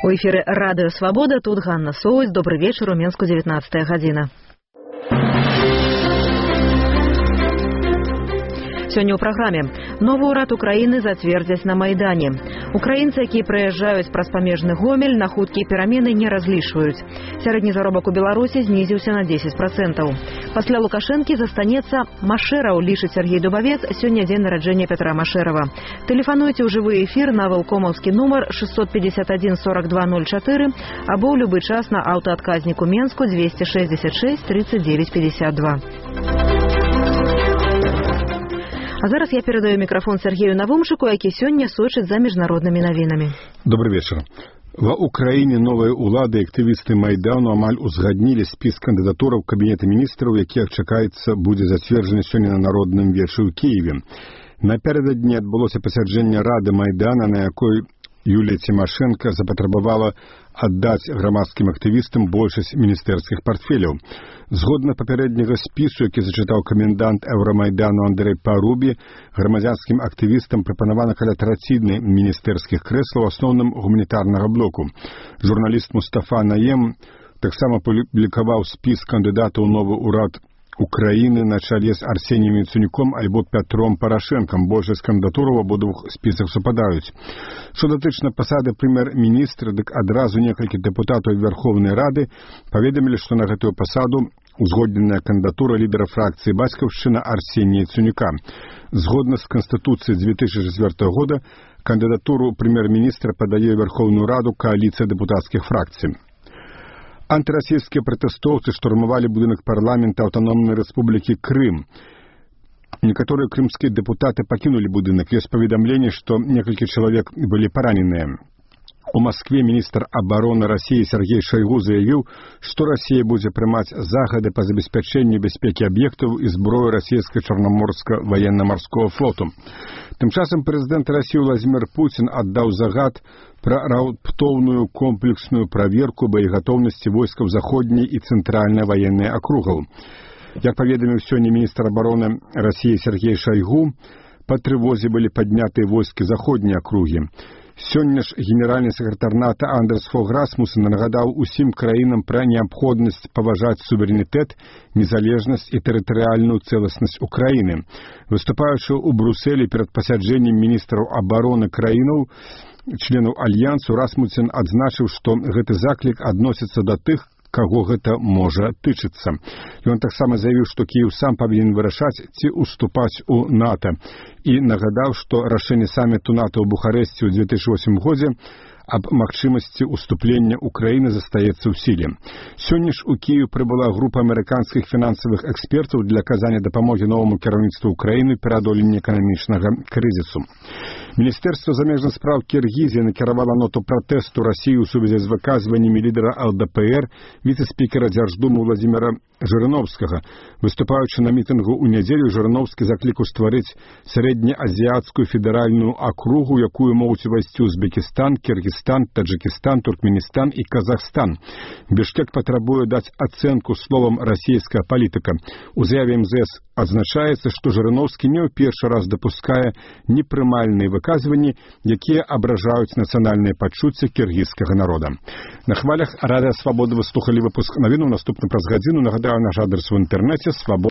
У эфіры Радыё Свабода, тут Ганна Соўць. Добры вечар, у Менску 19 гадзіна. Сёння ў праграме. Новы ўрад Украіны зацвердзяць на Майдане. Украінцы, якія прыязджаюць праз памежны Гомель, на хуткія перамены не разлічваюць. Сярэдні заробак у Беларусі знізіўся на 10%. Пасля Лукашэнкі застанецца Машэраў, лічыць Сергей Дубавец, сёння дзень нараджэння Пятра Машэрава. Тэлефануйце ў жывы эфір на вэлкомаўскі нумар 651 42 04 або ў любы час на аўтаадказніку Менску 266 39 52. А зараз я перадаю мікрафон Сергею Навумшыку, які сёння сочыць за міжнароднымі навінамі. Добрый вечер. Ва Украіне новыя ўлады і актывісты Майдану амаль узгаднілі спіс кандыдатураў Кабінета міністраў, які, чакаецца, будзе зацверджаны сёння на народным вечы ў Кіеве. Напярэдадні адбылося пасяджэнне Рады Майдана, на якой Юлія Цімашэнка запатрабавала аддаць грамадскім актывістам большасць міністэрскіх партфеляў. Згодна папярэдняга спісу, які зачытаў камендант Еўрамайдану Андрэй Парубі, грамадзянскім актывістам прапанавана каля траціны міністэрскіх крэслаў, асноўным гуманітарнага блоку. Журналіст Мустафа Наем таксама публікаваў спіс кандыдатаў у новы ўрад Украіны на чале з Арсеніем Яценюком альбо Пятром Парашэнкам. Большасць кандыдатураў у абодвух спісах супадаюць. Што датычна пасады прэм'ер-міністра, дык адразу некалькі дэпутатаў Верховнай Рады паведамілі, што на гэтую пасаду узгодненая кандыдатура лідара фракцыі «Бацькаўшчына» Арсенія Яценюка. Згодна з Канстытуцыяй 2004 года кандыдатуру прэм'ер-міністра падае Верховную Раду кааліцыя дэпутацкіх фракцый. Антырасійскія пратэстоўцы штурмавалі будынак парламента Аўтаномнай Рэспублікі Крым. Некаторыя крымскія дэпутаты пакінулі будынак. Ёсць паведамленне, што некалькі чалавек былі параненыя. У Маскве міністр абароны Расіі Сергей Шойгу заявіў, што Расія будзе прымаць загады па забеспячэнню бяспекі аб'ектаў і зброі расійскага чарнаморскага ваенна-марскога флоту. Тым часам прэзідэнт Расіі Владзімір Пуцін аддаў загад пра раптоўную комплексную праверку боегатоўнасці войскаў заходняй і цэнтральнай ваеннай акругаў. Як паведаміў сёння міністр абароны Расіі Сергей Шойгу, па трывозе былі паднятыя войскі заходняй акругі. Сёння ж генеральны сакратар НАТО Андерс Фог Расмуссен нагадаў усім краінам пра неабходнасць паважаць суверэнітэт, незалежнасць і тэрытарыяльную цэласнасць Украіны. Выступаючы ў Брусэлі перад пасяджэннем міністраў абароны краінаў, членаў альянсу, Расмуссен адзначыў, што гэты заклік адносіцца да тых, каго гэта можа тычыцца. Ён таксама заявіў, што Кіеў сам павінен вырашаць, ці уступаць у НАТО, і нагадаў, што рашэнне саміту НАТО ў Бухарэсце ў 2008 годзе аб магчымасці уступлення Украіны застаецца ў сіле. Сёння ж у Кіеў прыбыла група амерыканскіх фінансавых экспертаў для аказання дапамогі новаму кіраўніцтву Украіны перад адоленнем эканамічнага крызісу. Міністэрства замежных спраў Кіргізіі накіравала ноту пратэсту Расіі ў сувязі з выказваннямі лідара ЛДПР, віцэ-спікера Дзярждумы Владзіміра Жырыновскага. Выступаючы на мітынгу ў нядзелю, Жырыновскі заклікаў стварыць сярэднеазіяцкую федэральную акругу, якую могуць увайсці Узбекістан, Кіргізстан, Таджикистан, Туркменістан і Казахстан. Бішкек патрабуе даць ацэнку словам расійская палітыка. У заяве МЗС адзначаецца, што Жырыновскі не ў першы раз дапускае непрымальныя выказванні, якія абражаюць нацыянальныя пачуцці кіргізскага народа. На хвалях Радыё Свабода вы слухалі выпуск навін, наступны праз гадзіну. Нагадаю, наш адрес в інтэрнэце свабода.